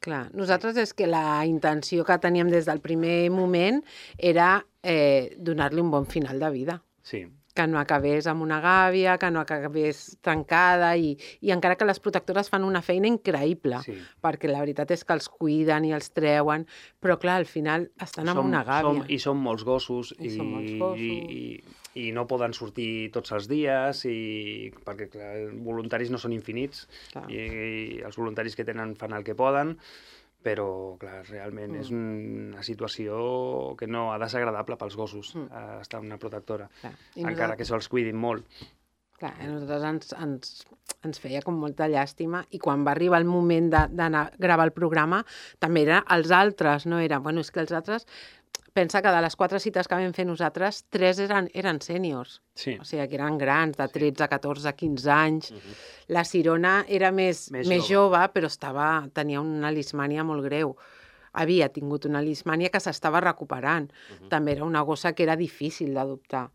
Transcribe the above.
Clar, nosaltres és que la intenció que teníem des del primer moment era donar-li un bon final de vida. Sí. Que no acabés amb una gàbia, que no acabés tancada, i encara que les protectores fan una feina increïble, perquè la veritat és que els cuiden i els treuen, però clar, al final estan amb una gàbia. I són molts gossos, i no poden sortir tots els dies, perquè clar, els voluntaris no són infinits, i els voluntaris que tenen fan el que poden, però, clar, realment és una situació que no ha de ser agradable pels gossos, estar en una protectora, encara que se'ls cuidin molt. Clar, a nosaltres ens feia com molta llàstima, i quan va arribar el moment d'anar a gravar el programa, també era els altres, no era... Bueno, és que els altres... Pensa que de les 4 cites que vam fer nosaltres, 3 eren sèniors. Sí. O sigui, que eren grans, de 13, 14, 15 anys. La Sirona era més jove, però tenia una lismània molt greu. Havia tingut una lismània que s'estava recuperant. També era una gossa que era difícil d'adoptar.